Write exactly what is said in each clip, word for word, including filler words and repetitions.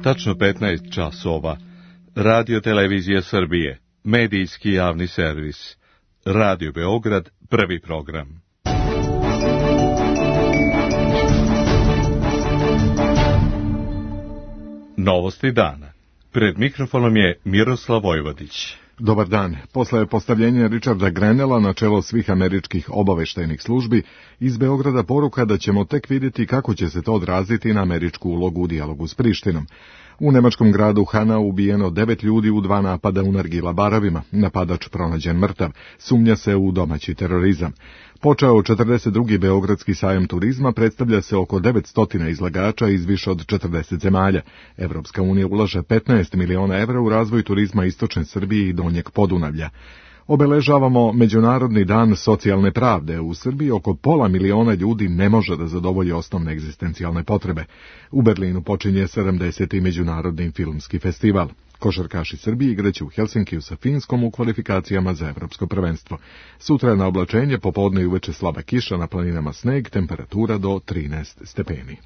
Tačno petnaest časova. Radio Televizija Srbije. Medijski javni servis. Radio Beograd, prvi program. Novosti dana. Pred mikrofonom je Miroslav Vojvodić. Dobar dan. Posle postavljenja Richarda Grenella na čelo svih američkih obaveštajnih službi, iz Beograda poruka da ćemo tek vidjeti kako će se to odraziti na američku ulogu u dijalogu s Prištinom. U nemačkom gradu Hanau ubijeno devet ljudi u dva napada u nargila barovima. Napadač pronađen mrtav. Sumnja se u domaći terorizam. Počeo četrdeset drugi Beogradski sajam turizma, predstavlja se oko devetsto izlagača iz više od četrdeset zemalja. Evropska unija ulaže petnaest miliona evra u razvoj turizma istočne Srbije i donjeg Podunavlja. Obeležavamo Međunarodni dan socijalne pravde. U Srbiji oko pola miliona ljudi ne može da zadovolji osnovne egzistencijalne potrebe. U Berlinu počinje sedamdeseti Međunarodni filmski festival. Košarkaši Srbije igraće u Helsinkiju sa Finskom u kvalifikacijama za evropsko prvenstvo. Sutra na oblačenje, popodne i uveče slaba kiša, na planinama sneg, temperatura do trinaest stepeni.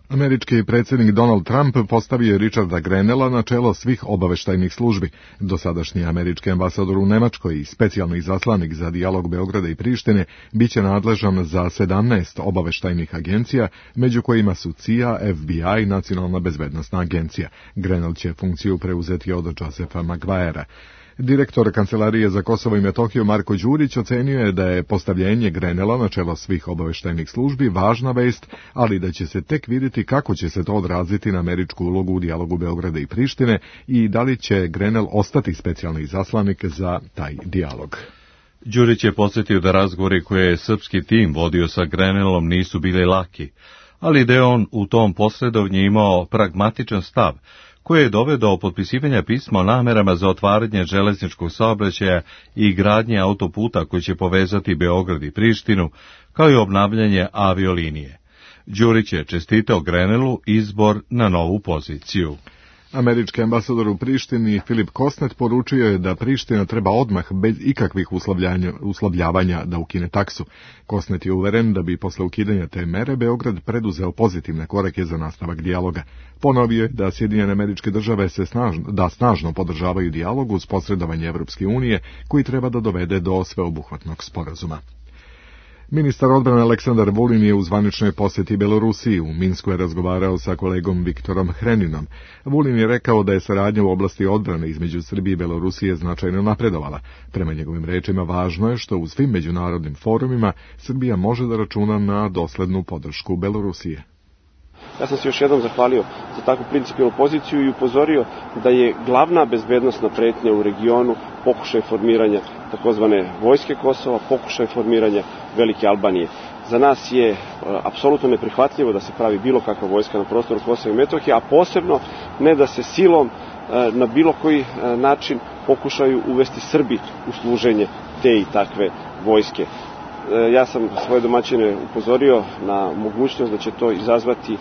Američki predsjednik Donald Trump postavio je Richarda Grenella na čelo svih obaveštajnih službi. Dosadašnji američki ambasador u Nemačkoj i specijalni izaslanik za dijalog Beograda i Prištine biće nadležan za sedamnaest obaveštajnih agencija, među kojima su C I A, F B I i Nacionalna bezbednosna agencija. Grenell će funkciju preuzeti od Josepha Maguirea. Direktor Kancelarije za Kosovo i Metohiju Marko Đurić ocenio je da je postavljenje Grenella na čelo svih obaveštajnih službi važna vest, ali da će se tek vidjeti kako će se to odraziti na američku ulogu u dijalogu Beograda i Prištine i da li će Grenell ostati specijalni izaslanik za taj dijalog. Đurić je podsjetio da razgovori koje je srpski tim vodio sa Grenellom nisu bili laki, ali da je on u tom posredovnju imao pragmatičan stav, koje je doveo do potpisivanja pisma o namerama za otvaranje železničkog saobraćaja i gradnje autoputa koji će povezati Beograd i Prištinu, kao i obnavljanje aviolinije. Đurić je čestitao Grenellu izbor na novu poziciju. Američki ambasador u Prištini Filip Kosnet poručio je da Priština treba odmah bez ikakvih uslovljavanja da ukine taksu. Kosnet je uveren da bi posle ukidanja te mere Beograd preduzeo pozitivne korake za nastavak dijaloga. Ponovio je da Sjedinjene Američke Države se snažno, da snažno podržavaju dijalog uz posredovanje Evropske unije koji treba da dovede do sveobuhvatnog sporazuma. Ministar odbrane Aleksandar Vulin je u zvaničnoj posjeti Belorusiji. U Minsku je razgovarao sa kolegom Viktorom Hreninom. Vulin je rekao da je saradnja u oblasti odbrane između Srbije i Belorusije značajno napredovala. Prema njegovim rečima važno je što u svim međunarodnim forumima Srbija može da računa na doslednu podršku Belorusije. Ja sam se još jednom zahvalio za takvu principijelnu poziciju i upozorio da je glavna bezbednosna pretnja u regionu pokušaj formiranja takozvane vojske Kosova, pokušaj formiranja Velike Albanije. Za nas je e, apsolutno neprihvatljivo da se pravi bilo kakva vojska na prostoru Kosova i Metohije, a posebno ne da se silom e, na bilo koji e, način pokušaju uvesti Srbi u služenje te i takve vojske. Ja sam svoje domaćine upozorio na mogućnost da će to izazvati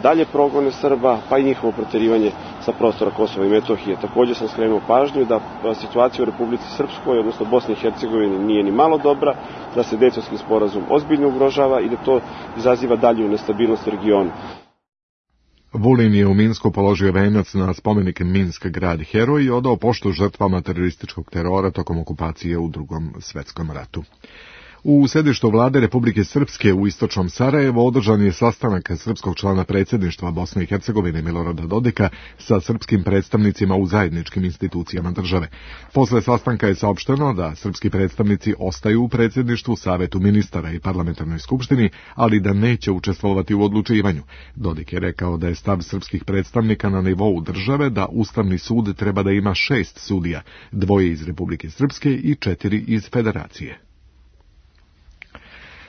dalje progone Srba, pa i njihovo proterivanje sa prostora Kosova i Metohije. Također sam skrenuo pažnju da situacija u Republici Srpskoj, odnosno Bosni i Hercegovini, nije ni malo dobra, da se Dejtonski sporazum ozbiljno ugrožava i da to izaziva dalju nestabilnost u regionu. Vulin je u Minsku položio venac na spomenik Minsk grad heroj i odao poštu žrtvama terorističkog terora tokom okupacije u Drugom svetskom ratu. U sedištu vlade Republike Srpske u istočnom Sarajevu održan je sastanak srpskog člana predsjedništva Bosne i Hercegovine Milorada Dodika sa srpskim predstavnicima u zajedničkim institucijama države. Posle sastanka je saopšteno da srpski predstavnici ostaju u predsjedništvu, Savetu ministara i parlamentarnoj skupštini, ali da neće učestvovati u odlučivanju. Dodik je rekao da je stav srpskih predstavnika na nivou države da Ustavni sud treba da ima šest sudija, dvoje iz Republike Srpske i četiri iz Federacije.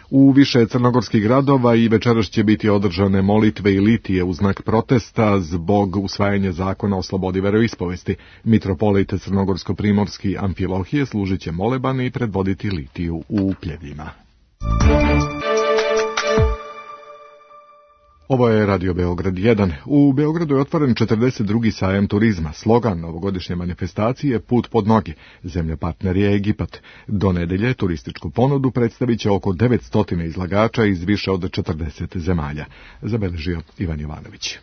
U više crnogorskih gradova i večeras će biti održane molitve i litije u znak protesta zbog usvajanja zakona o slobodi veroispovesti. Mitropolit crnogorsko-primorski Amfilohije služit će moleban i predvoditi litiju u Pljevljima. Ovo je Radio Beograd jedan. U Beogradu je otvoren četrdeset drugi sajam turizma. Slogan novogodišnje manifestacije Put pod noge. Zemlja partner je Egipat. Do nedelje turističku ponudu predstavit će oko devetsto izlagača iz više od četrdeset zemalja. Zabeležio Ivan Jovanović.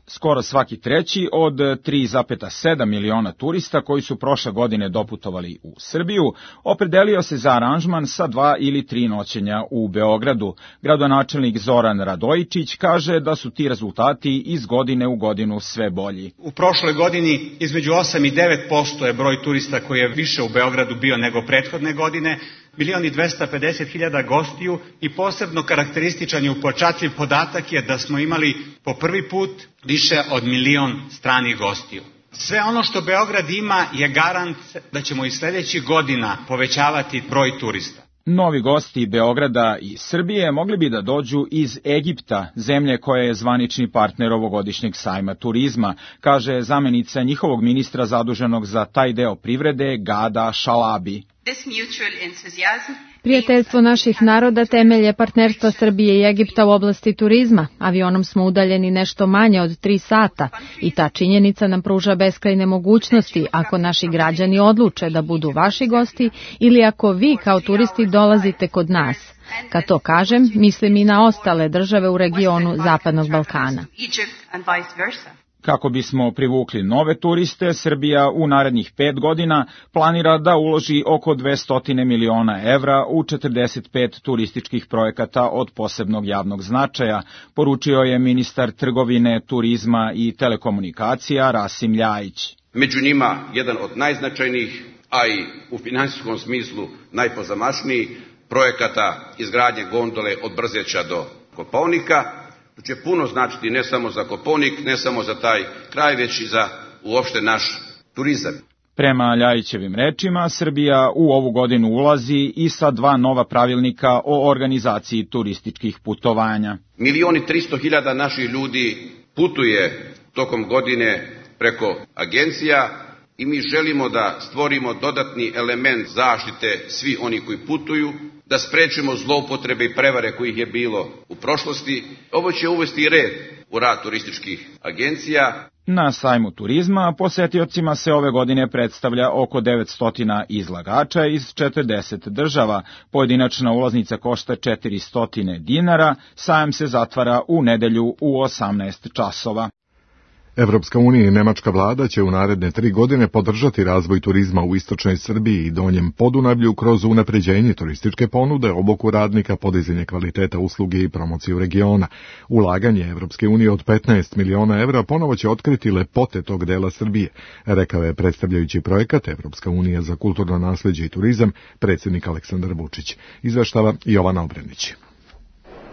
Skoro svaki treći od tri zarez sedam miliona turista koji su prošle godine doputovali u Srbiju opredelio se za aranžman sa dva ili tri noćenja u Beogradu. Gradonačelnik Zoran Radojičić kaže da su ti rezultati iz godine u godinu sve bolji. U prošloj godini između osam i devet posto je broj turista koji je više u Beogradu bio nego prethodne godine, milion i dvesta pedeset hiljada gostiju i posebno karakterističan i upečatljiv podatak je da smo imali po prvi put više od milion stranih gostiju. Sve ono što Beograd ima je garant da ćemo i sledećih godina povećavati broj turista. Novi gosti Beograda i Srbije mogli bi da dođu iz Egipta, zemlje koja je zvanični partner ovogodišnjeg sajma turizma, kaže zamenica njihovog ministra zaduženog za taj deo privrede Gada Šalabi. Prijateljstvo naših naroda temelj je partnerstva Srbije i Egipta u oblasti turizma. Avionom smo udaljeni nešto manje od tri sata i ta činjenica nam pruža beskrajne mogućnosti ako naši građani odluče da budu vaši gosti ili ako vi kao turisti dolazite kod nas. Kad to kažem, mislim i na ostale države u regionu Zapadnog Balkana. Kako bismo privukli nove turiste, Srbija u narednih pet godina planira da uloži oko dvesta miliona evra u četrdeset pet turističkih projekata od posebnog javnog značaja, poručio je ministar trgovine, turizma i telekomunikacija Rasim Ljajić. Među njima jedan od najznačajnijih, a i u finansijskom smislu najpozamašniji projekata izgradnje gondole od Brzeća do Kopaonika. To će puno značiti ne samo za Kopaonik, ne samo za taj kraj, već i za uopšte naš turizam. Prema Ljajićevim rečima, Srbija u ovu godinu ulazi i sa dva nova pravilnika o organizaciji turističkih putovanja. Milion i tristo hiljada naših ljudi putuje tokom godine preko agencija i mi želimo da stvorimo dodatni element zaštite svi oni koji putuju, da sprečimo zloupotrebe i prevare kojih je bilo u prošlosti. Ovo će uvesti red u rad turističkih agencija. Na sajmu turizma posetiocima se ove godine predstavlja oko devetsto izlagača iz četrdeset država. Pojedinačna ulaznica košta četiristo dinara, sajam se zatvara u nedelju u osamnaest časova. Evropska unija i nemačka vlada će u naredne tri godine podržati razvoj turizma u istočnoj Srbiji i donjem Podunavlju kroz unapređenje turističke ponude, obuku radnika, podizanje kvaliteta usluge i promociju regiona. Ulaganje Evropske unije od petnaest miliona evra ponovo će otkriti lepote tog dela Srbije, rekao je predstavljajući projekat Evropska unija za kulturno nasleđe i turizam predsjednik Aleksandar Vučić. Izveštava Jovana Obrenić.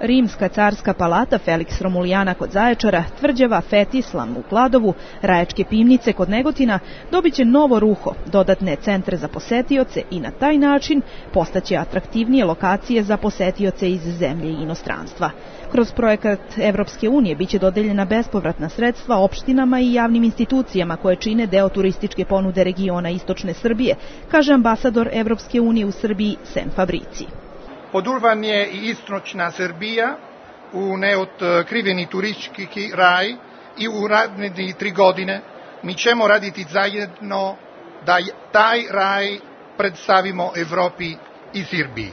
Rimska carska palata Feliks Romulijana kod Zaječara, tvrđava Fetislam u Kladovu, Rajačke pivnice kod Negotina dobit će novo ruho, dodatne centre za posetioce i na taj način postaće atraktivnije lokacije za posetioce iz zemlje i inostranstva. Kroz projekat Evropske unije biće dodeljena bespovratna sredstva opštinama i javnim institucijama koje čine deo turističke ponude regiona istočne Srbije, kaže ambasador Evropske unije u Srbiji Sen Fabrici. Podurvan je i istočna Srbija u neotkriveni turistički raj i u naredne tri godine mi ćemo raditi zajedno da taj raj predstavimo Evropi i Srbiji.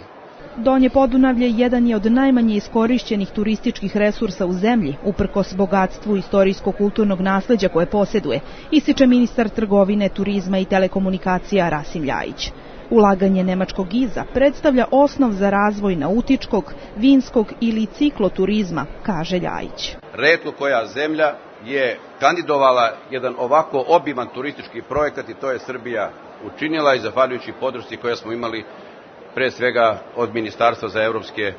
Donje Podunavlje jedan je od najmanje iskorišćenih turističkih resursa u zemlji, uprkos bogatstvu istorijsko-kulturnog nasleđa koje posjeduje, ističe ministar trgovine, turizma i telekomunikacija Rasim Ljajić. Ulaganje nemačkog giza predstavlja osnov za razvoj nautičkog, vinskog ili cikloturizma, kaže Ljajić. Retko koja zemlja je kandidovala jedan ovako obiman turistički projekat i to je Srbija učinila i zahvaljujući podršci koje smo imali pre svega od Ministarstva za evropske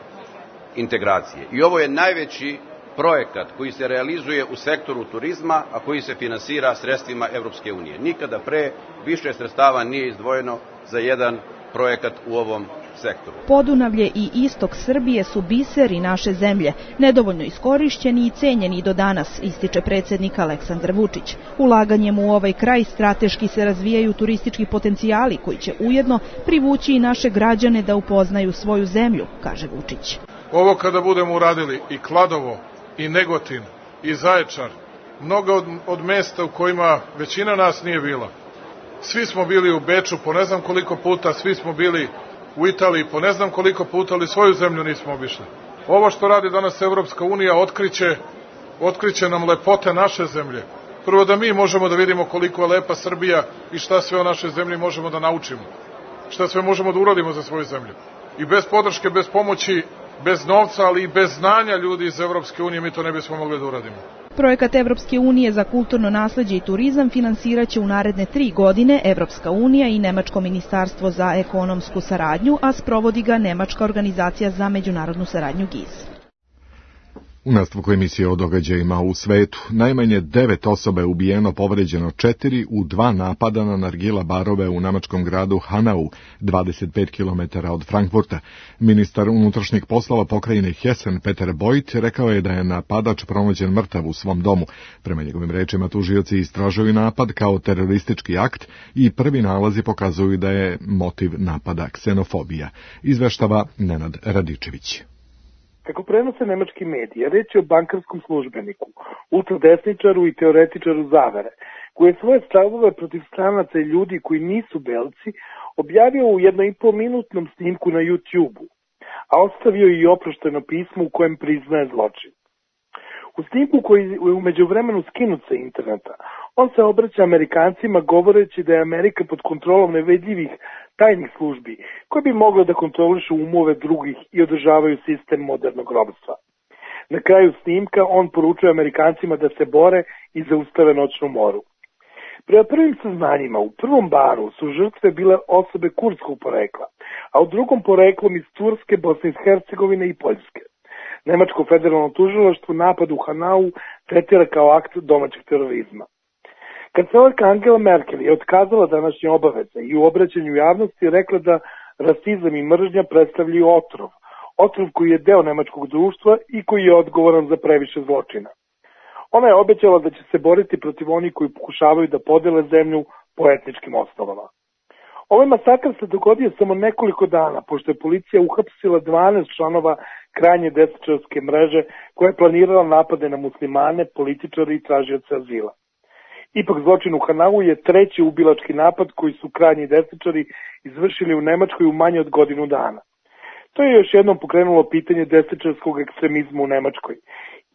integracije. I ovo je najveći projekat koji se realizuje u sektoru turizma, a koji se finansira sredstvima Evropske unije. Nikada pre više sredstava nije izdvojeno za jedan projekat u ovom sektoru. Podunavlje i istok Srbije su biseri naše zemlje, nedovoljno iskorišćeni i cenjeni do danas, ističe predsjednik Aleksandar Vučić. Ulaganjem u ovaj kraj strateški se razvijaju turistički potencijali koji će ujedno privući i naše građane da upoznaju svoju zemlju, kaže Vučić. Ovo kada budemo uradili i Kladovo i Negotin, i Zaječar, mnoga od, od mesta u kojima većina nas nije bila. Svi smo bili u Beču po ne znam koliko puta, svi smo bili u Italiji po ne znam koliko puta, ali svoju zemlju nismo obišli. Ovo što radi danas Evropska unija otkriće, otkriće nam lepote naše zemlje. Prvo da mi možemo da vidimo koliko je lepa Srbija i šta sve o našoj zemlji možemo da naučimo. Šta sve možemo da uradimo za svoju zemlju. I bez podrške, bez pomoći, bez novca, ali i bez znanja ljudi iz Evropske unije mi to ne bismo mogli da uradimo. Projekat Evropske unije za kulturno nasleđe i turizam finansiraće u naredne tri godine Evropska unija i Nemačko ministarstvo za ekonomsku saradnju, a sprovodi ga Nemačka organizacija za međunarodnu saradnju G I S. U nastavku emisije o događajima u svetu, najmanje devet osoba je ubijeno, povređeno četiri u dva napada na nargila barove u nemačkom gradu Hanau, dvadeset pet kilometara od Frankfurta. Ministar unutrašnjih poslova pokrajine Hessen, Peter Beuth, rekao je da je napadač pronađen mrtav u svom domu. Prema njegovim rečima, tužioci istražuju napad kao teroristički akt i prvi nalazi pokazuju da je motiv napada ksenofobija. Izveštava Nenad Radičević. Kako prenose nemački mediji, reč je o bankarskom službeniku, ultradesničaru i teoretičaru zavere, koji je svoje stavove protiv stranaca i ljudi koji nisu belci objavio u jedno i pol minutnom snimku na YouTube-u, a ostavio i oprošteno pismo u kojem priznaje zločin. U snimku koji je u međuvremenu skinut sa interneta, on se obraća Amerikancima govoreći da je Amerika pod kontrolom nevedljivih tajnih službi, koje bi mogle da kontrolišu umove drugih i održavaju sistem modernog robstva. Na kraju snimka on poručuje Amerikancima da se bore i zaustave noćnu moru. Prema prvim saznanjima, u prvom baru su žrtve bile osobe kurdskog porekla, a u drugom poreklom iz Turske, Bosne i Hercegovine i Poljske. Nemačko federalno tužilaštvo napad u Hanau tretira kao akt domaćeg terorizma. Kancelarka Angela Merkel je otkazala današnje obaveze i u obraćanju javnosti rekla da rasizam i mržnja predstavljaju otrov, otrov koji je deo nemačkog društva i koji je odgovoran za previše zločina. Ona je obećala da će se boriti protiv onih koji pokušavaju da podele zemlju po etničkim osnovama. Ovaj masakr se dogodio samo nekoliko dana, pošto je policija uhapsila dvanaest članova krajnje desničarske mreže koja je planirala napade na muslimane, političare i tražioce azila. Ipak zločin u Hanau je treći ubilački napad koji su krajnji desničari izvršili u Nemačkoj u manje od godinu dana. To je još jednom pokrenulo pitanje desničarskog ekstremizma u Nemačkoj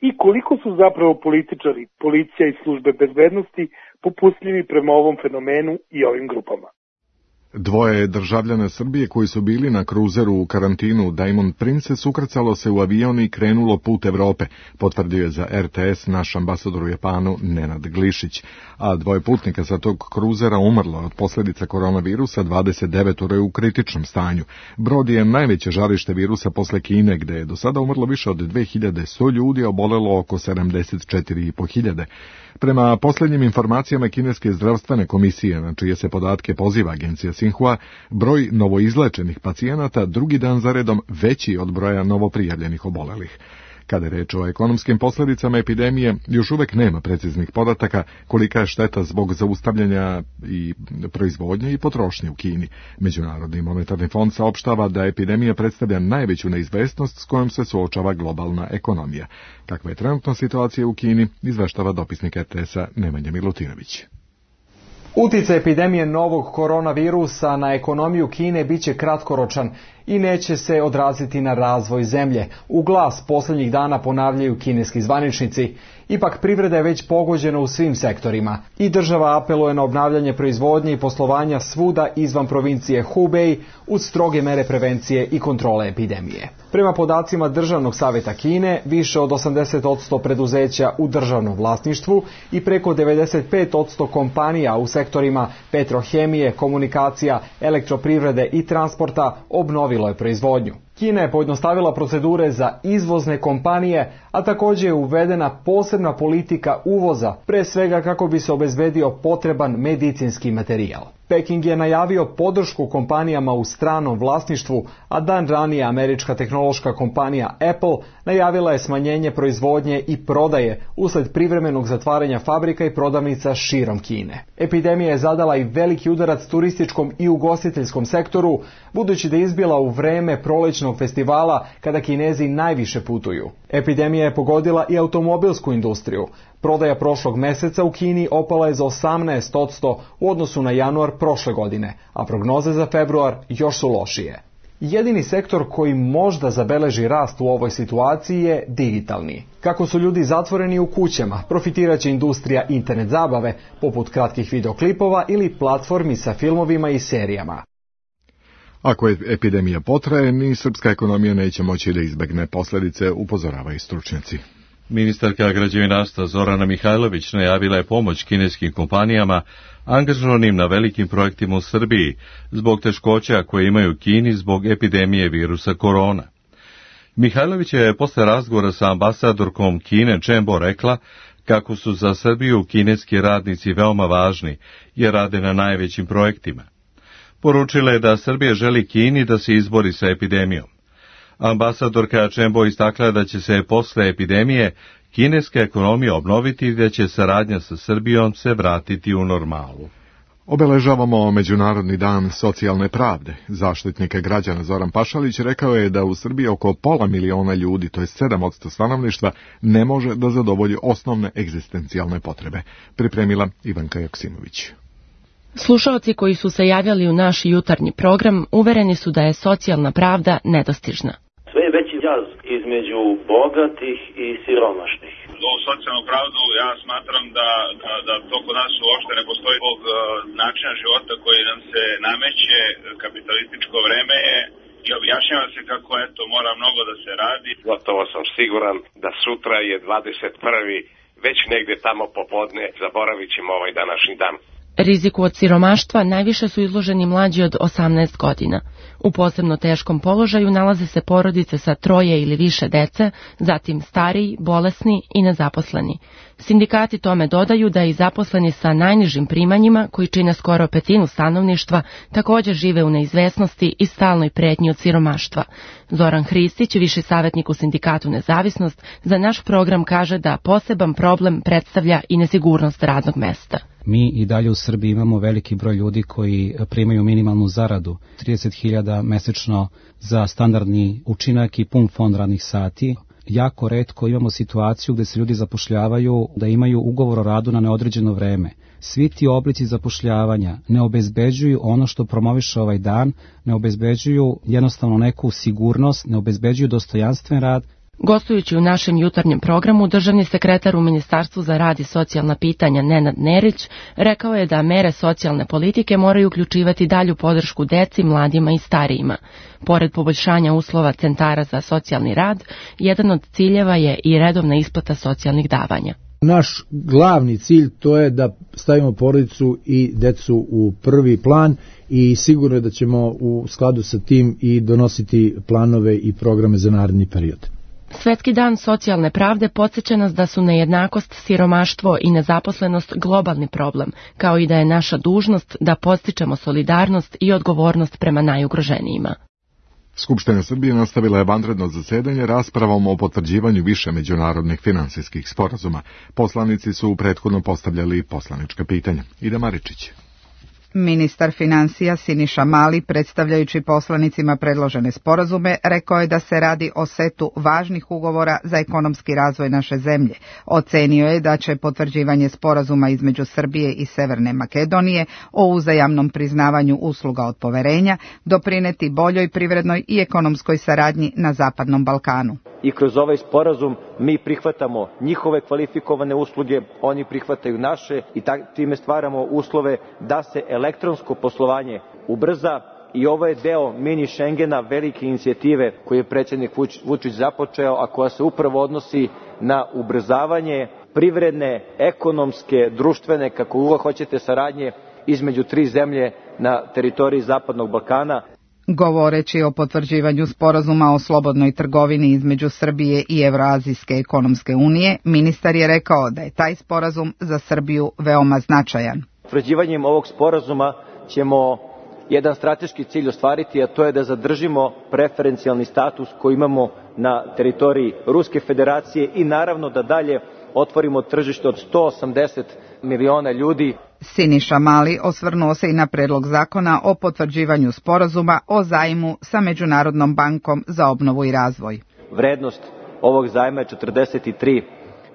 i koliko su zapravo političari, policija i službe bezbednosti popustljivi prema ovom fenomenu i ovim grupama. Dvoje državljana Srbije koji su bili na kruzeru u karantinu Diamond Princess ukrcalo se u avion i krenulo put Evrope, potvrdio je za R T S naš ambasador u Japanu Nenad Glišić, a dvoje putnika sa tog kruzera umrlo od posljedica koronavirusa, dvadeset devet je u kritičnom stanju. Brod je najveće žarište virusa posle Kine, gde je do sada umrlo više od dve hiljade sto ljudi, a obolelo oko sedamdeset četiri i po hiljade. Prema posljednjim informacijama Kineske zdravstvene komisije, na čije se podatke poziva agencija Sinhua, broj novoizlečenih pacijenata drugi dan za redom veći od broja novoprijavljenih obolelih. Kada je reč o ekonomskim posljedicama epidemije, još uvek nema preciznih podataka kolika je šteta zbog zaustavljanja i proizvodnje i potrošnje u Kini. Međunarodni monetarni fond saopštava da epidemija predstavlja najveću neizvesnost s kojom se suočava globalna ekonomija. Kakva je trenutna situacija u Kini, izveštava dopisnik R T S-a Nemanja Milutinović. Uticaj epidemije novog koronavirusa na ekonomiju Kine biće kratkoročan i neće se odraziti na razvoj zemlje. U glas posljednjih dana ponavljaju kineski zvaničnici. Ipak privreda je već pogođena u svim sektorima i država apeluje na obnavljanje proizvodnje i poslovanja svuda izvan provincije Hubei uz stroge mere prevencije i kontrole epidemije. Prema podacima Državnog savjeta Kine, više od osamdeset posto preduzeća u državnom vlasništvu i preko devedeset pet posto kompanija u sektorima petrohemije, komunikacija, elektroprivrede i transporta obnovilo je proizvodnju. Kina je pojednostavila procedure za izvozne kompanije, a također je uvedena posebna politika uvoza, pre svega kako bi se obezbedio potreban medicinski materijal. Peking je najavio podršku kompanijama u stranom vlasništvu, a dan ranije američka tehnološka kompanija Apple najavila je smanjenje proizvodnje i prodaje usled privremenog zatvaranja fabrika i prodavnica širom Kine. Epidemija je zadala i veliki udarac turističkom i ugostiteljskom sektoru, budući da je izbila u vreme prolećnog muzičkog festivala kada Kinezi najviše putuju. Epidemija je pogodila i automobilsku industriju. Prodaja prošlog meseca u Kini opala je za osamnaest posto u odnosu na januar prošle godine, a prognoze za februar još su lošije. Jedini sektor koji možda zabeleži rast u ovoj situaciji je digitalni. Kako su ljudi zatvoreni u kućama, profitirat će industrija internet zabave, poput kratkih videoklipova ili platformi sa filmovima i serijama. Ako je epidemija potraje, ni srpska ekonomija neće moći da izbegne posljedice, upozoravaju stručnjaci. Ministarka građevinarstva Zorana Mihajlović najavila je pomoć kineskim kompanijama angažovanim na velikim projektima u Srbiji zbog teškoća koje imaju u Kini zbog epidemije virusa korona. Mihajlović je posle razgovora sa ambasadorkom Kine Chen Bo rekla kako su za Srbiju kineski radnici veoma važni jer rade na najvećim projektima. Poručila je da Srbija želi Kini da se izbori sa epidemijom. Ambasadorka Chen Bo istakla da će se posle epidemije kineska ekonomija obnoviti i da će saradnja sa Srbijom se vratiti u normalu. Obeležavamo Međunarodni dan socijalne pravde. Zaštitnik građana Zoran Pašalić rekao je da u Srbiji oko pola miliona ljudi, to je sedam posto stanovništva, ne može da zadovolji osnovne egzistencijalne potrebe. Pripremila Ivanka Joksimović. Slušaoci koji su se javljali u naš jutarnji program uvereni su da je socijalna pravda nedostižna. Sve je veći jaz između bogatih i siromašnih. O socijalnu pravdu ja smatram da, da, da to kod nas uopšte ne postoji zbog uh, načina života koji nam se nameće, kapitalističko vreme je i objašnjava se kako eto mora mnogo da se radi. Gotovo sam siguran da sutra je dvadeset prvi već negde tamo popodne zaboravit ćemo ovaj današnji dan. Riziku od siromaštva najviše su izloženi mlađi od osamnaest godina. U posebno teškom položaju nalaze se porodice sa troje ili više dece, zatim stariji, bolesni i nezaposleni. Sindikati tome dodaju da i zaposleni sa najnižim primanjima, koji čine skoro petinu stanovništva, također žive u neizvesnosti i stalnoj pretnji od siromaštva. Zoran Hristić, viši savjetnik u sindikatu Nezavisnost, za naš program kaže da poseban problem predstavlja i nesigurnost radnog mesta. Mi i dalje u Srbiji imamo veliki broj ljudi koji primaju minimalnu zaradu, trideset hiljada mesečno za standardni učinak i pun fond radnih sati. Jako retko imamo situaciju gde se ljudi zapošljavaju da imaju ugovor o radu na neodređeno vreme. Svi ti oblici zapošljavanja ne obezbeđuju ono što promoviše ovaj dan, ne obezbeđuju jednostavno neku sigurnost, ne obezbeđuju dostojanstven rad. Gostujući u našem jutarnjem programu, državni sekretar u Ministarstvu za rad i socijalna pitanja Nenad Nerić rekao je da mere socijalne politike moraju uključivati dalju podršku deci, mladima i starijima. Pored poboljšanja uslova centara za socijalni rad, jedan od ciljeva je i redovna isplata socijalnih davanja. Naš glavni cilj to je da stavimo porodicu i decu u prvi plan i sigurno je da ćemo u skladu sa tim i donositi planove i programe za naredni period. Svetski dan socijalne pravde podsjeća nas da su nejednakost, siromaštvo i nezaposlenost globalni problem, kao i da je naša dužnost da podstičemo solidarnost i odgovornost prema najugroženijima. Skupština Srbije nastavila je vanredno zasedanje raspravom o potvrđivanju više međunarodnih finansijskih sporazuma. Poslanici su prethodno postavljali poslanička pitanja. Ida Maričić. Ministar finansija Siniša Mali, predstavljajući poslanicima predložene sporazume, rekao je da se radi o setu važnih ugovora za ekonomski razvoj naše zemlje. Ocenio je da će potvrđivanje sporazuma između Srbije i Severne Makedonije o uzajamnom priznavanju usluga od poverenja doprineti boljoj privrednoj i ekonomskoj saradnji na Zapadnom Balkanu. I kroz ovaj sporazum mi prihvatamo njihove kvalifikovane usluge, oni prihvataju naše i time stvaramo uslove da se elektronsko poslovanje ubrza i ovo je deo mini Schengena, velike inicijative koju je predsjednik Vučić započeo, a koja se upravo odnosi na ubrzavanje privredne, ekonomske, društvene, kako uvijek hoćete, saradnje između tri zemlje na teritoriji Zapadnog Balkana. Govoreći o potvrđivanju sporazuma o slobodnoj trgovini između Srbije i Evroazijske ekonomske unije, ministar je rekao da je taj sporazum za Srbiju veoma značajan. Potvrđivanjem ovog sporazuma ćemo jedan strateški cilj ostvariti, a to je da zadržimo preferencijalni status koji imamo na teritoriji Ruske federacije i naravno da dalje otvorimo tržište od sto osamdeset miliona ljudi. Siniša Mali osvrnuo se i na predlog zakona o potvrđivanju sporazuma o zajmu sa Međunarodnom bankom za obnovu i razvoj. Vrednost ovog zajma je četrdeset tri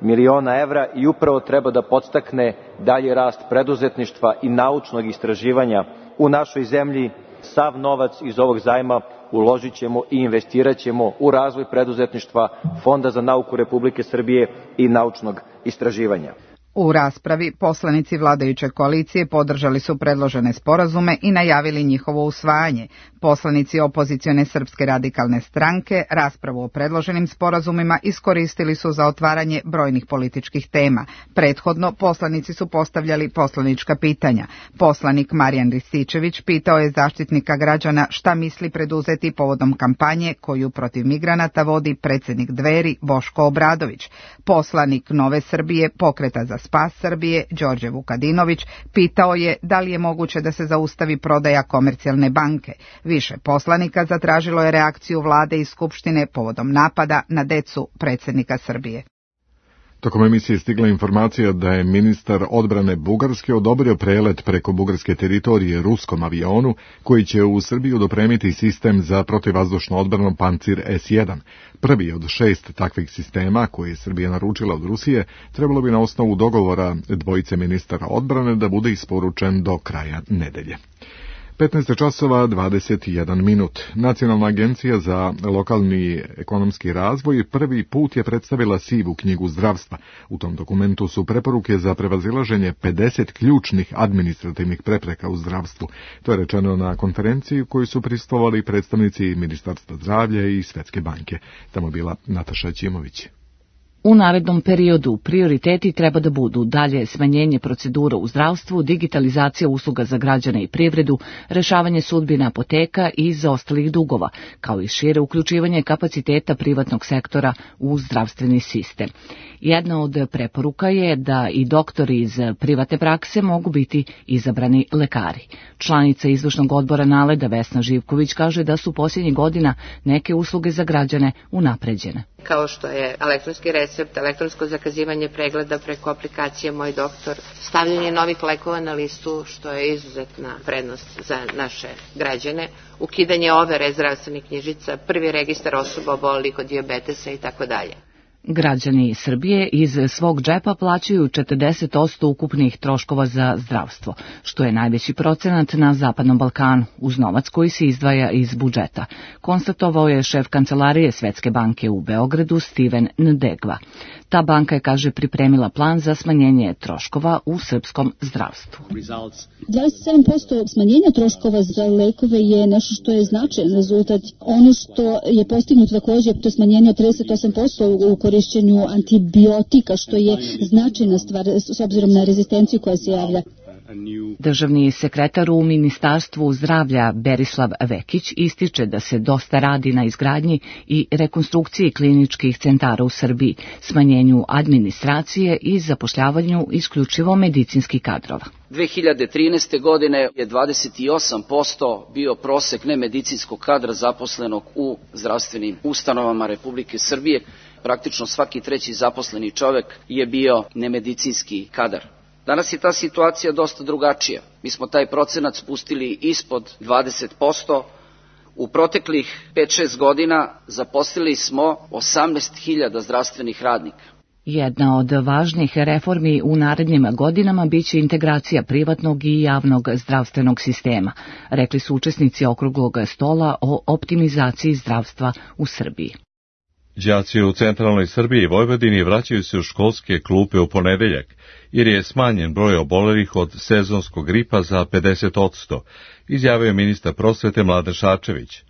miliona evra i upravo treba da podstakne dalji rast preduzetništva i naučnog istraživanja u našoj zemlji. Sav novac iz ovog zajma uložit ćemo i investirat ćemo u razvoj preduzetništva, Fonda za nauku Republike Srbije i naučnog istraživanja. U raspravi poslanici vladajuće koalicije podržali su predložene sporazume i najavili njihovo usvajanje. Poslanici opozicione Srpske radikalne stranke raspravu o predloženim sporazumima iskoristili su za otvaranje brojnih političkih tema. Prethodno poslanici su postavljali poslanička pitanja. Poslanik Marijan Rističević pitao je zaštitnika građana šta misli preduzeti povodom kampanje koju protiv migranata vodi predsjednik Dveri Boško Obradović. Poslanik Nove Srbije, Pokreta za spas Srbije, Đorđe Vukadinović, pitao je da li je moguće da se zaustavi prodaja Komercijalne banke. Više poslanika zatražilo je reakciju vlade i skupštine povodom napada na decu predsjednika Srbije. Tokom emisije stigla informacija da je ministar odbrane Bugarske odobrio prelet preko bugarske teritorije ruskom avionu koji će u Srbiju dopremiti sistem za protivvazdušnu odbranu Pancir S jedan. Prvi od šest takvih sistema koje je Srbija naručila od Rusije trebalo bi na osnovu dogovora dvojice ministara odbrane da bude isporučen do kraja nedelje. petnaest časova dvadeset jedan minut. Nacionalna agencija za lokalni ekonomski razvoj prvi put je predstavila sivu knjigu zdravstva. U tom dokumentu su preporuke za prevazilaženje pedeset ključnih administrativnih prepreka u zdravstvu. To je rečeno na konferenciji u kojoj su prisustvovali predstavnici Ministarstva zdravlja i Svetske banke. Tamo je bila Nataša Ćimović. U narednom periodu prioriteti treba da budu dalje smanjenje procedura u zdravstvu, digitalizacija usluga za građane i privredu, rešavanje sudbina apoteka i zaostalih dugova, kao i šire uključivanje kapaciteta privatnog sektora u zdravstveni sistem. Jedna od preporuka je da i doktori iz privatne prakse mogu biti izabrani lekari. Članica izvršnog odbora Naleda Vesna Živković kaže da su posljednjih godina neke usluge za građane unapređene. Kao što je elektronski recept, elektronsko zakazivanje pregleda preko aplikacije Moj doktor, stavljanje novih lekova na listu, što je izuzetna prednost za naše građane, ukidanje overe zdravstvenih knjižica, prvi registar osoba obolelih od dijabetesa i tako dalje. Građani Srbije iz svog džepa plaćaju četrdeset posto ukupnih troškova za zdravstvo, što je najveći procenat na Zapadnom Balkanu, uz novac koji se izdvaja iz budžeta, konstatovao je šef kancelarije Svetske banke u Beogradu Steven Ndegva. Ta banka je, kaže, pripremila plan za smanjenje troškova u srpskom zdravstvu. dvadeset sedam posto smanjenja troškova za lekove je nešto što je značajan rezultat. Ono što je postignuto također je to smanjenje od trideset osam posto u korišćenju antibiotika, što je značajna stvar s obzirom na rezistenciju koja se javlja. Državni sekretar u Ministarstvu zdravlja Berislav Vekić ističe da se dosta radi na izgradnji i rekonstrukciji kliničkih centara u Srbiji, smanjenju administracije i zapošljavanju isključivo medicinskih kadrova. dve hiljade trinaeste. godine je dvadeset osam posto bio prosek nemedicinskog kadra zaposlenog u zdravstvenim ustanovama Republike Srbije. Praktično svaki treći zaposleni čovek je bio nemedicinski kadar. Danas je ta situacija dosta drugačija. Mi smo taj procenat spustili ispod dvadeset posto. U proteklih pet šest godina zaposlili smo osamnaest hiljada zdravstvenih radnika. Jedna od važnih reformi u narednim godinama biće integracija privatnog i javnog zdravstvenog sistema, rekli su učesnici okruglog stola o optimizaciji zdravstva u Srbiji. Đaci u centralnoj Srbiji i Vojvodini vraćaju se u školske klupe u ponedeljak, jer je smanjen broj obolelih od sezonskog gripa za pedeset posto, izjavio ministar prosvete Mladen Šarčević.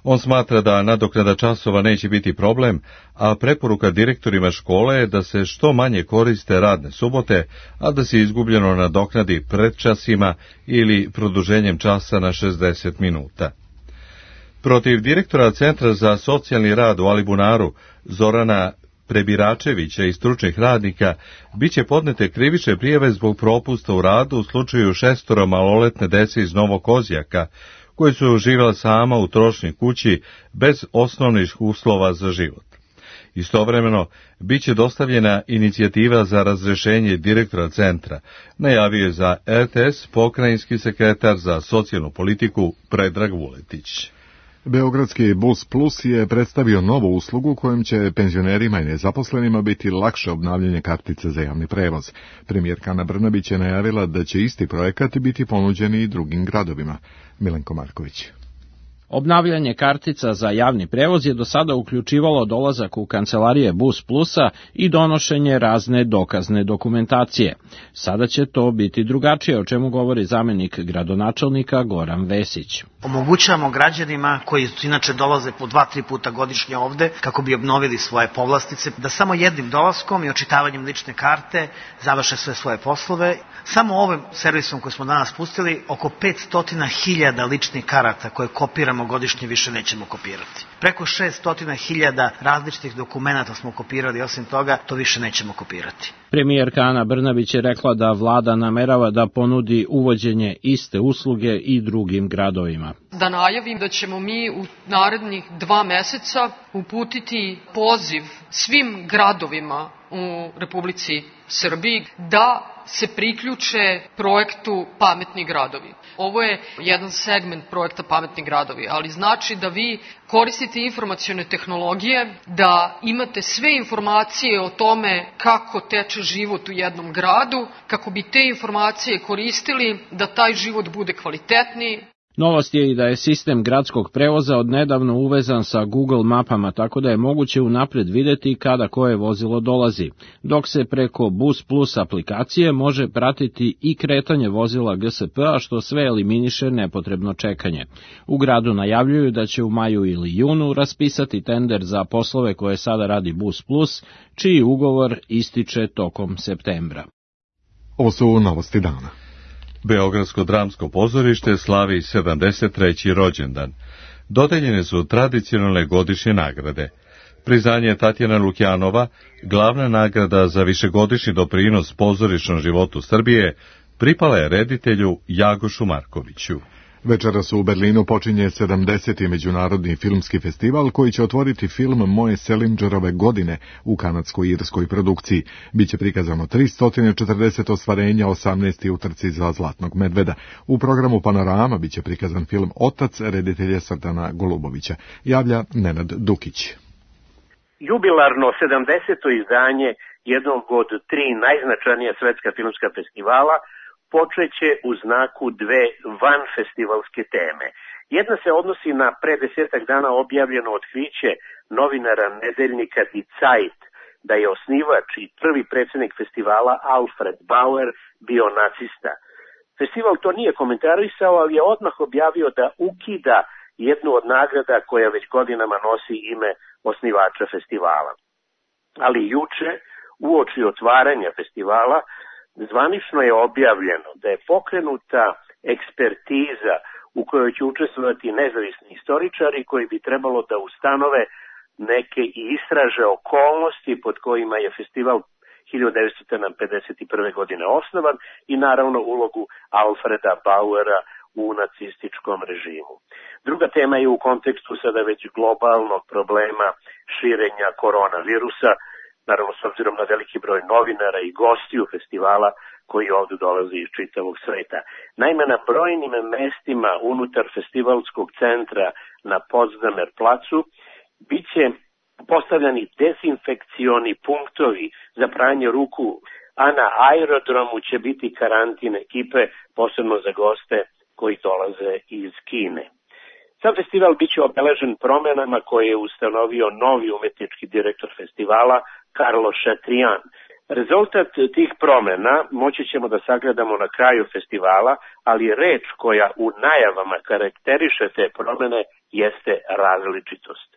On smatra da nadoknada časova neće biti problem, a preporuka direktorima škole je da se što manje koriste radne subote, a da se izgubljeno nadoknadi predčasima ili produženjem časa na šezdeset minuta. Protiv direktora Centra za socijalni rad u Alibunaru, Zorana Prebiračevića i stručnih radnika, biće podnete krivične prijave zbog propusta u radu u slučaju šestoro maloletne dece iz Novog Kozjaka, koji su živjela sama u trošnoj kući bez osnovnih uslova za život. Istovremeno, bit će dostavljena inicijativa za razrešenje direktora centra, najavio je za R T S pokrajinski sekretar za socijalnu politiku Predrag Vuletić. Beogradski Bus Plus je predstavio novu uslugu kojom će penzionerima i nezaposlenima biti lakše obnavljanje kartice za javni prevoz. Premijerka Ana Brnabić je najavila da će isti projekat biti ponuđeni i drugim gradovima. Milenko Marković. Obnavljanje kartica za javni prevoz je do sada uključivalo dolazak u kancelarije Bus Plusa i donošenje razne dokazne dokumentacije. Sada će to biti drugačije, o čemu govori zamenik gradonačelnika Goran Vesić. Omogućavamo građanima koji inače dolaze po dva, tri puta godišnje ovde kako bi obnovili svoje povlastice, da samo jednim dolaskom i očitavanjem lične karte završe sve svoje poslove. Samo ovim servisom koji smo danas pustili, oko petsto hiljada ličnih karata koje kopiramo godišnje više nećemo kopirati. Preko šesto hiljada različitih dokumenata smo kopirali, osim toga to više nećemo kopirati. Premijerka Ana Brnabić je rekla da vlada namerava da ponudi uvođenje iste usluge i drugim gradovima. Da najavim da ćemo mi u narednih dva meseca uputiti poziv svim gradovima u Republici Srbiji da se priključe projektu Pametni gradovi. Ovo je jedan segment projekta Pametni gradovi, ali znači da vi koristite informacione tehnologije, da imate sve informacije o tome kako teče život u jednom gradu, kako bi te informacije koristili da taj život bude kvalitetniji. Novost je i da je sistem gradskog prevoza odnedavno uvezan sa Google mapama, tako da je moguće unapred videti kada koje vozilo dolazi, dok se preko Bus Plus aplikacije može pratiti i kretanje vozila G S P-a, što sve eliminiše nepotrebno čekanje. U gradu najavljuju da će u maju ili junu raspisati tender za poslove koje sada radi Bus Plus, čiji ugovor ističe tokom septembra. Ovo su novosti dana. Beogradsko dramsko pozorište slavi sedamdeset treći rođendan. Dodeljene su tradicionalne godišnje nagrade. Priznanje Tatjana Lukjanova, glavna nagrada za višegodišnji doprinos pozorišnom životu Srbije, pripala je reditelju Jagošu Markoviću. Večeras u Berlinu počinje sedamdeseti međunarodni filmski festival koji će otvoriti film Moje Selingerove godine u kanadsko-irskoj produkciji. Biće prikazano tristo četrdeset ostvarenja, osamnaest utrci za Zlatnog medveda. U programu Panorama biće prikazan film Otac reditelja Srdana Golubovića. Javlja Nenad Dukić. Jubilarno sedamdeseto izdanje jednog od tri najznačajnija svetska filmska festivala počeće u znaku dve vanfestivalske teme. Jedna se odnosi na pre desetak dana objavljeno otkriće novinara nedeljnika Die Zeit, da je osnivač i prvi predsjednik festivala Alfred Bauer bio nacista. Festival to nije komentarisao, ali je odmah objavio da ukida jednu od nagrada koja već godinama nosi ime osnivača festivala. Ali juče, uoči otvaranja festivala, zvanično je objavljeno da je pokrenuta ekspertiza u kojoj će učestvovati nezavisni istoričari koji bi trebalo da ustanove neke i istraže okolnosti pod kojima je festival hiljadu devetsto pedeset prve. godine osnovan i naravno ulogu Alfreda Bauera u nacističkom režimu. Druga tema je u kontekstu sada već globalnog problema širenja koronavirusa, naravno s obzirom na veliki broj novinara i gostiju festivala koji ovdje dolaze iz čitavog sveta. Naime, na brojnim mestima unutar festivalskog centra na Potsdamer placu bit će postavljani dezinfekcioni punktovi za pranje ruku, a na aerodromu će biti karantin ekipe, posebno za goste koji dolaze iz Kine. Sam festival bit će obeležen promenama koje je ustanovio novi umetnički direktor festivala, Carlos Chatrian. Rezultat tih promena moći ćemo da sagledamo na kraju festivala, ali reč koja u najavama karakteriše te promene jeste različitost.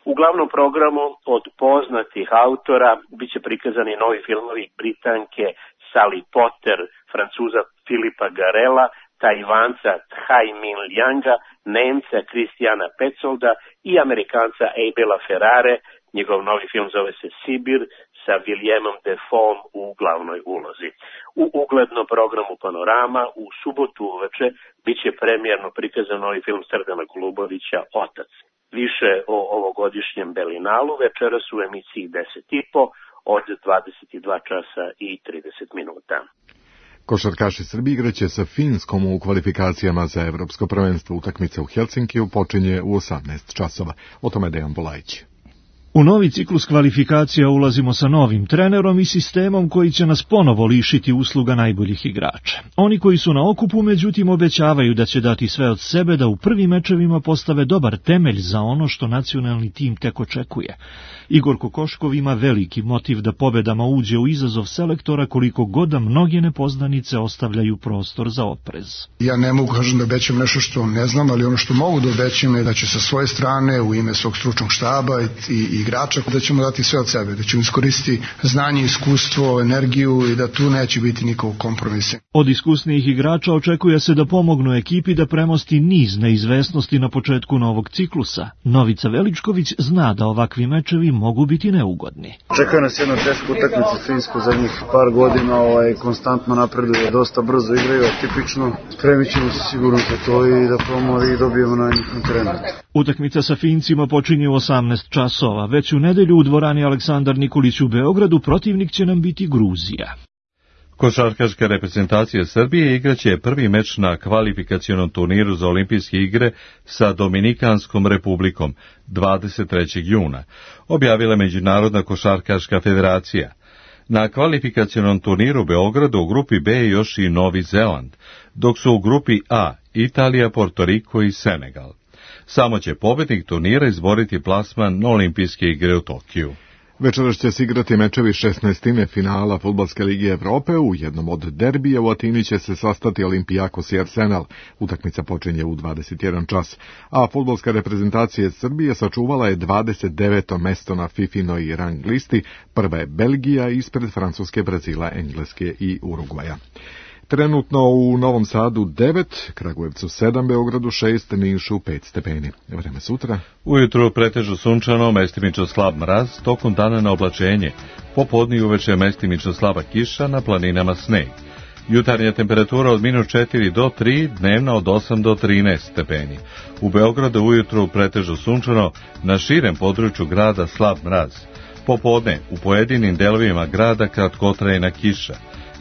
U glavnom programu od poznatih autora bit će prikazani novi filmovi Britanke Sally Potter, Francuza Filipa Garela, Tajvanca Thai Min Lianga, Nemca Kristijana Petsolda i Amerikanca Abela Ferrare. Njegov novi film zove se Sibir sa Williamom Defoeom u glavnoj ulozi. U uglednom programu Panorama u subotu uveče bit će premijerno prikazan novi film Srdana Golubovića Otac. Više o ovogodišnjem Berlinalu večeras u emisiji deset i po od dvadeset dva časa i trideset minuta. Košarkaši Srbije igraće sa Finskom u kvalifikacijama za evropsko prvenstvo. Utakmica u Helsinkiju počinje u osamnaest časova. O tome Dejan Bulajić. U novi ciklus kvalifikacija ulazimo sa novim trenerom i sistemom koji će nas ponovo lišiti usluga najboljih igrača. Oni koji su na okupu, međutim, obećavaju da će dati sve od sebe da u prvim mečevima postave dobar temelj za ono što nacionalni tim tek očekuje. Igor Kokoškov ima veliki motiv da pobedama uđe u izazov selektora, koliko god da mnoge nepoznanice ostavljaju prostor za oprez. Ja ne mogu kažem da obećam nešto što ne znam, ali ono što mogu da obećam je da će sa svoje strane u ime svog stručnog štaba i, i igrača da ćemo dati sve od sebe, da ćemo iskoristiti znanje, iskustvo, energiju i da tu neće biti nikakvog kompromisa. Od iskusnijih igrača očekuje se da pomognu ekipi da premosti niz neizvesnosti na početku novog ciklusa. Novica Veličković zna da ovakvi mečevi mogu biti neugodni. Čeka nas jedna teška utakmica s Finskom zadnjih par godina, ovaj, konstantno napreduje, dosta brzo igraju, tipično. Spremit ćemo se sigurno za to i da probamo i dobijemo na njihovom terenu. Utakmica sa Fincima počinje u osamnaest časova. Već u nedelju u dvorani Aleksandar Nikolić u Beogradu protivnik će nam biti Gruzija. Košarkaška reprezentacija Srbije igraće prvi meč na kvalifikacionom turniru za olimpijske igre sa Dominikanskom republikom dvadeset trećeg juna, objavila Međunarodna košarkaška federacija. Na kvalifikacionom turniru u Beogradu u grupi B je još i Novi Zeland, dok su u grupi A Italija, Porto Riko i Senegal. Samo će pobednik turnira izboriti plasman na olimpijske igre u Tokiju. Večeras će se igrati mečevi šesnaestine finala Fudbalske lige Evrope. U jednom od derbija u Atini će se sastati Olimpijakos i Arsenal. Utakmica počinje u dvadeset jedan čas. A fudbalska reprezentacija Srbije sačuvala je dvadeset deveto mesto na Fifinoj rang listi. Prva je Belgija ispred Francuske, Brazila, Engleske i Urugvaja. Trenutno u Novom Sadu devet, Kragujevcu sedam, Beogradu šest, Nišu pet stepeni. Vreme sutra. Ujutru pretežno sunčano, mestimično slab mraz, tokom dana na oblačenje. Popodne i uveče mestimično slaba kiša, na planinama sneg. Jutarnja temperatura od minus četiri do tri, dnevna od osam do trinaest stepeni. U Beogradu ujutru pretežno sunčano, na širem području grada slab mraz. Popodne u pojedinim delovima grada kratkotrajna kiša.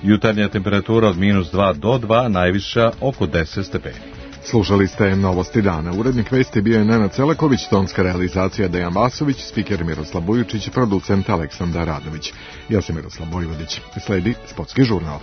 Jutarnja temperatura od minus dva do dva, najviša oko deset stepeni. Slušali ste Novosti dana. Urednik vesti bio je Nenad Celeković, tonska realizacija Dejan Vasović, spiker Miroslav Bujučić, producent Aleksandar Radović. Ja sam Miroslav Vojvodić. Sledi Sportski žurnal.